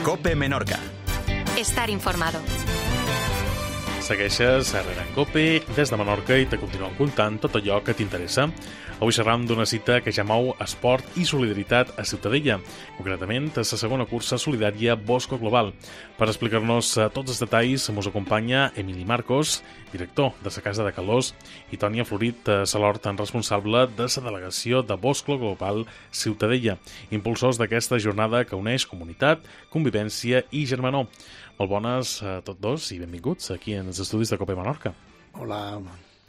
COPE Menorca. Estar informado. Segueixes a Rere en COPE des de Menorca i te continuem contant tot allò que t'interessa. Avui xerram d'una cita que ja mou esport i solidaritat a Ciutadella, concretament a la segona cursa solidària Bosco Global. Per explicar-nos tots els detalls mos acompanya Emili Marcos, director de la Casa de Calós, i Tònia Florit Salort, responsable de la delegació de Bosco Global Ciutadella, impulsors d'aquesta jornada que uneix comunitat, convivència i germanor. Molt bones a tots dos i benvinguts aquí en els estudis de COPE Menorca. Hola.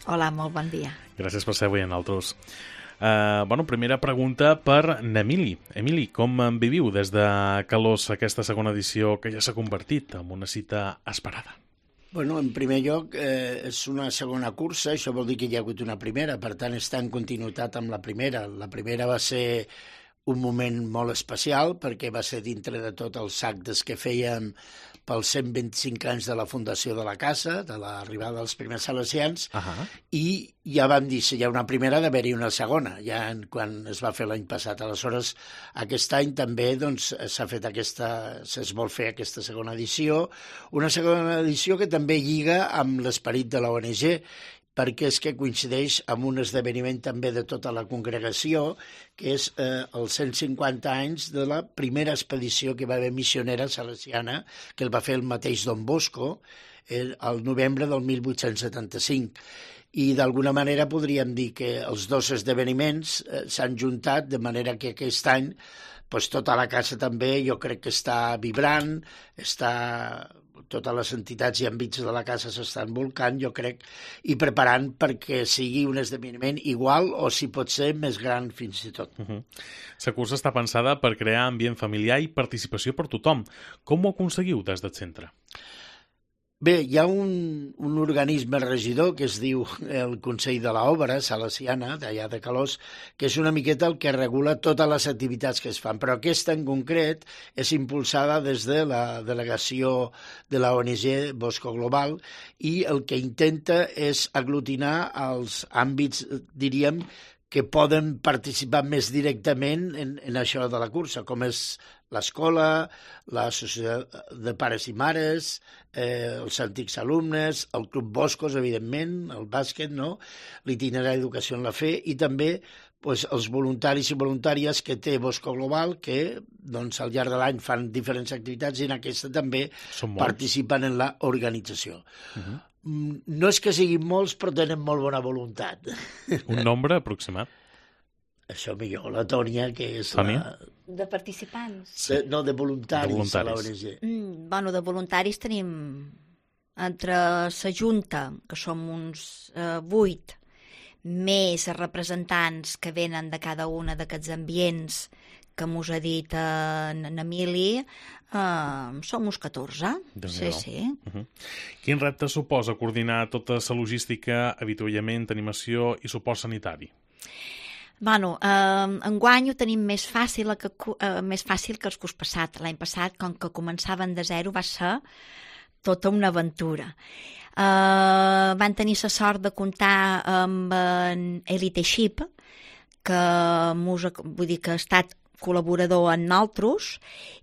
Hola, molt bon dia. Gràcies per ser avui en altres. Primera pregunta per n'Emili. Emili, com viviu des de Calós aquesta segona edició que ja s'ha convertit en una cita esperada? En primer lloc, és una segona cursa, això vol dir que hi ha hagut una primera, per tant està en continuïtat amb la primera. La primera va ser un moment molt especial perquè va ser dintre de tots els actes que fèiem pels 125 anys de la fundació de la casa, de l'arribada dels primers salesians, i ja vam dir, si hi ha una primera, d'haver-hi una segona, ja quan es va fer l'any passat. Aleshores, aquest any també es vol fer aquesta segona edició, una segona edició que també lliga amb l'esperit de la ONG, perquè és que coincideix amb un esdeveniment també de tota la congregació, que és els 150 anys de la primera expedició que va haver missionera salesiana, que el va fer el mateix Don Bosco, al novembre del 1875. I d'alguna manera podríem dir que els dos esdeveniments s'han juntat, de manera que aquest any tota la casa també jo crec que està vibrant, totes les entitats i àmbits de la casa s'estan volcant, jo crec, i preparant perquè sigui un esdeveniment igual o, si pot ser, més gran fins i tot. La cursa està pensada per crear ambient familiar i participació per tothom. Com ho aconseguiu des del centre? Bé, hi ha un organisme regidor que es diu el Consell de l'Obra Salesiana, d'allà de Calós, que és una miqueta el que regula totes les activitats que es fan, però aquesta en concret és impulsada des de la delegació de la ONG Bosco Global i el que intenta és aglutinar els àmbits, diríem, que poden participar més directament en això de la cursa, com és l'escola, l'associació de pares i mares, els antics alumnes, el Club Boscos, evidentment, el bàsquet, l'itinerari d'educació en la fe, i també els voluntaris i voluntàries que té Bosco Global, que al llarg de l'any fan diferents activitats i en aquesta també participen en l'organització. No és que siguin molts, però tenen molt bona voluntat. Un nombre aproximat? Això millor, la Tònia, que és De participants? No, de voluntaris a l'ONG. De voluntaris tenim entre la Junta, que som uns 8, més representants que venen de cada una d'aquests ambients que mos ha dit en Emili, som uns 14. Sí. Quin repte suposa coordinar tota la logística, avituallament, animació i suport sanitari? Enguany ho tenim més fàcil que el curs passat. L'any passat, com que començaven de zero, va ser tota una aventura. Van tenir la sort de comptar amb Elite Ship, que ha estat col·laborador en nosaltres,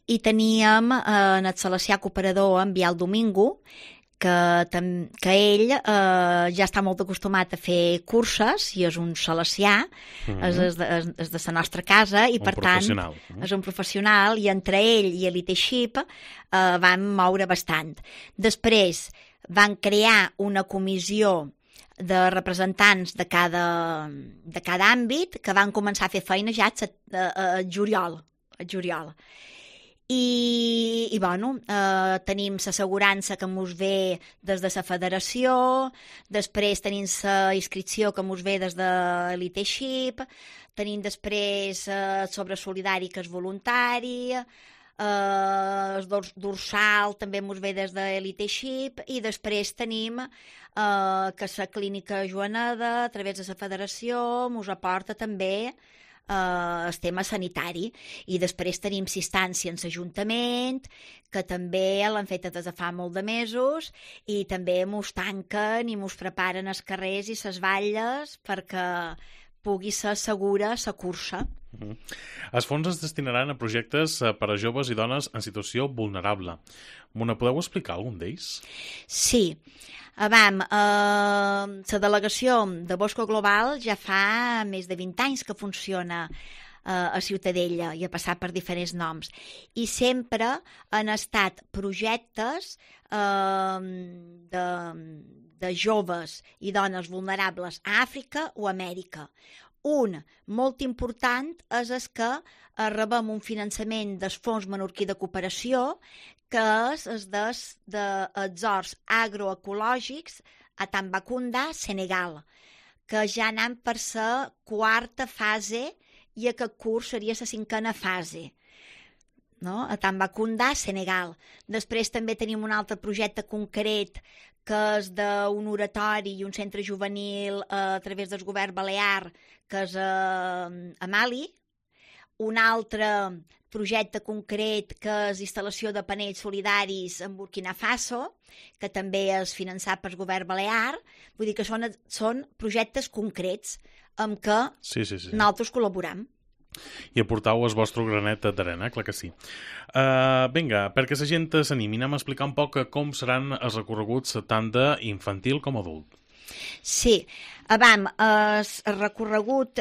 i teníem en el salesià cooperador en Biel Domingo, que ell ja està molt acostumat a fer curses i és un salesià, és de la nostra casa, i per tant és un professional, i entre ell i Elite Ship van moure bastant. Després van crear una comissió de representants de cada àmbit que van començar a fer feina ja a juliol. I tenim l'assegurança que mos ve des de la federació, després tenim la inscripció que mos ve des de Elite Ship, tenim després sobre solidari, que és voluntari, el dorsal també mos ve des de Elite Ship, i després tenim que la clínica Joaneda, a través de la federació, mos aporta també el tema sanitari, i després tenim assistència en l'Ajuntament, que també l'han fet des de fa molt de mesos, i també mos tanquen i mos preparen els carrers i les valles perquè pugui ser segura la cursa. Els fons es destinaran a projectes per a joves i dones en situació vulnerable. Me podeu explicar algun d'ells? Sí. La delegació de Bosco Global ja fa més de 20 anys que funciona a Ciutadella i ha passat per diferents noms. I sempre han estat projectes de joves i dones vulnerables a Àfrica o Amèrica. Un molt important és el que rebem un finançament del Fons Menorquí de Cooperació, que és dels horts agroecològics a Tambacounda, Senegal, que ja anem per la 4a fase i aquest curs seria la 5a fase. No? A Tambacounda, Senegal. Després també tenim un altre projecte concret que és d'un oratori i un centre juvenil a través del govern balear, que és a Mali. Un altre projecte concret que és instal·lació de panells solidaris en Burkina Faso, que també és finançat pel govern balear. Vull dir que són projectes concrets amb què nosaltres col·laborem. I aportau el vostre granet d'arena, clar que sí. Vinga, perquè la gent s'animi, anem a explicar un poc com seran els recorreguts tant d'infantil com adult. Sí, el recorregut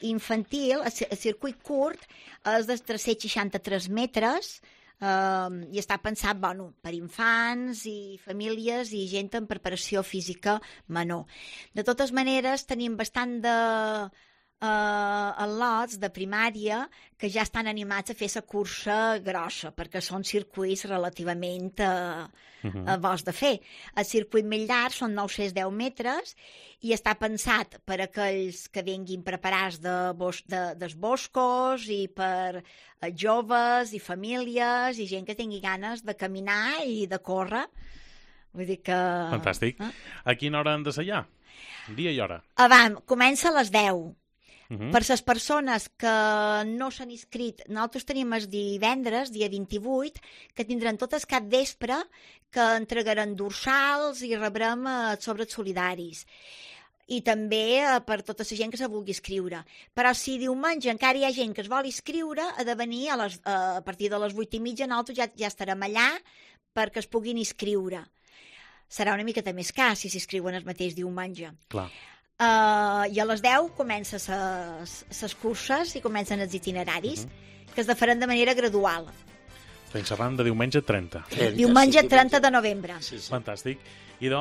infantil, el circuit curt, és de 363 metres i està pensat per infants i famílies i gent en preparació física menor. De totes maneres, tenim bastant de lots de primària que ja estan animats a fer la cursa grossa, perquè són circuits relativament bons de fer. El circuit més llarg són 910 metres i està pensat per a aquells que vinguin preparats dels boscos i per joves i famílies i gent que tingui ganes de caminar i de córrer. Vull dir que... Fantàstic. A quina hora han de ser allà? Dia i hora? Comença a les 10. Per les persones que no s'han inscrit, nosaltres tenim el divendres, dia 28, que tindran tot el cap vespre, que entregaran dorsals i rebrem sobres solidaris. I també per tota la gent que se vulgui inscriure. Però si diumenge encara hi ha gent que es vol inscriure, ha de venir a partir de les 8:30, nosaltres ja estarem allà perquè es puguin inscriure. Serà una miqueta més car si s'inscriuen el mateix diumenge. Clar. I a les 10 comencen les curses i comencen els itineraris, que es faran de manera gradual. Fins arran de diumenge 30. Diumenge 30 de novembre. Sí. Fantàstic. I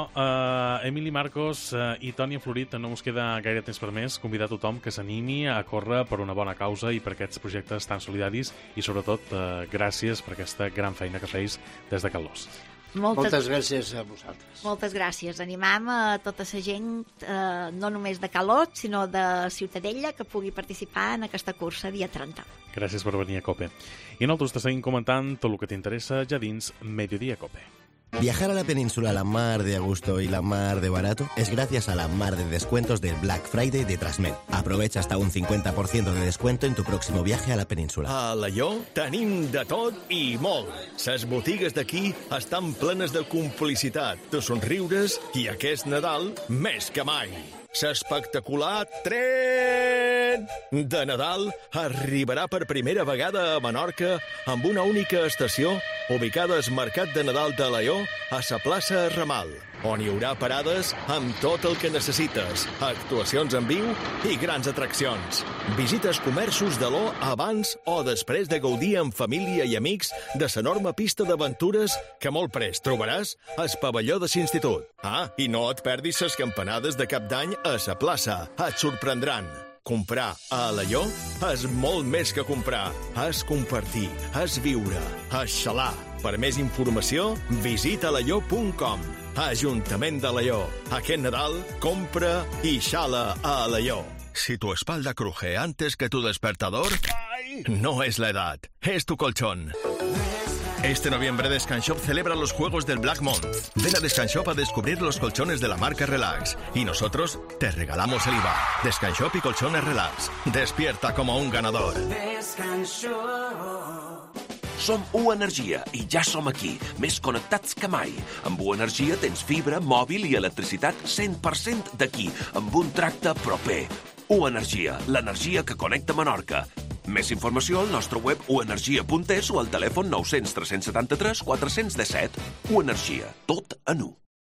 Emili Marcos i Tònia Florit, no us queda gaire temps per més, convidar tothom que s'animi a córrer per una bona causa i per aquests projectes tan solidaris i sobretot gràcies per aquesta gran feina que feis des de Calós. Moltes gràcies a vosaltres. Moltes gràcies. Animam a tota la gent, no només de Calós, sinó de Ciutadella, que pugui participar en aquesta cursa dia 30. Gràcies per venir a COPE. I nosaltres te seguim comentant tot el que t'interessa ja dins Mediodía COPE. Viajar a la península la mar de a gusto y la mar de barato es gracias a la mar de descuentos del Black Friday de Trasmed. Aprovecha hasta un 50% de descuento en tu próximo viaje a la península. A Alaior tenim de tot i molt. Les botigues d'aquí estan plenes de complicitat, de somriures i aquest Nadal més que mai. L'espectacular tren de Nadal arribarà per primera vegada a Menorca amb una única estació ubicada al Mercat de Nadal de Alaior a la plaça Ramal, on hi haurà parades amb tot el que necessites, actuacions en viu i grans atraccions. Visita els comerços d'Alaior abans o després de gaudir amb família i amics de l'enorme pista d'aventures que molt prest trobaràs al pavelló de l'institut. I no et perdis les campanades de cap d'any a la plaça. Et sorprendran. Comprar a Alaior és molt més que comprar. És compartir, és viure, és xalar. Per més informació, visita alaior.com. Ajuntament d'Alaior. Aquest Nadal, compra y xala a Alaior. Si tu espalda cruje antes que tu despertador, no es la edad, es tu colchón. Este noviembre Descanshop celebra los juegos del Black Month. Ven a Descanshop a descubrir los colchones de la marca Relax. Y nosotros te regalamos el IVA. Descanshop y colchones Relax. Despierta como un ganador. Som U Energia i ja som aquí, més connectats que mai. Amb U Energia tens fibra, mòbil i electricitat 100% d'aquí, amb un tracte proper. U Energia, l'energia que connecta Menorca. Més informació al nostre web uenergia.es o al telèfon 900 373 417. Uenergia, tot en u.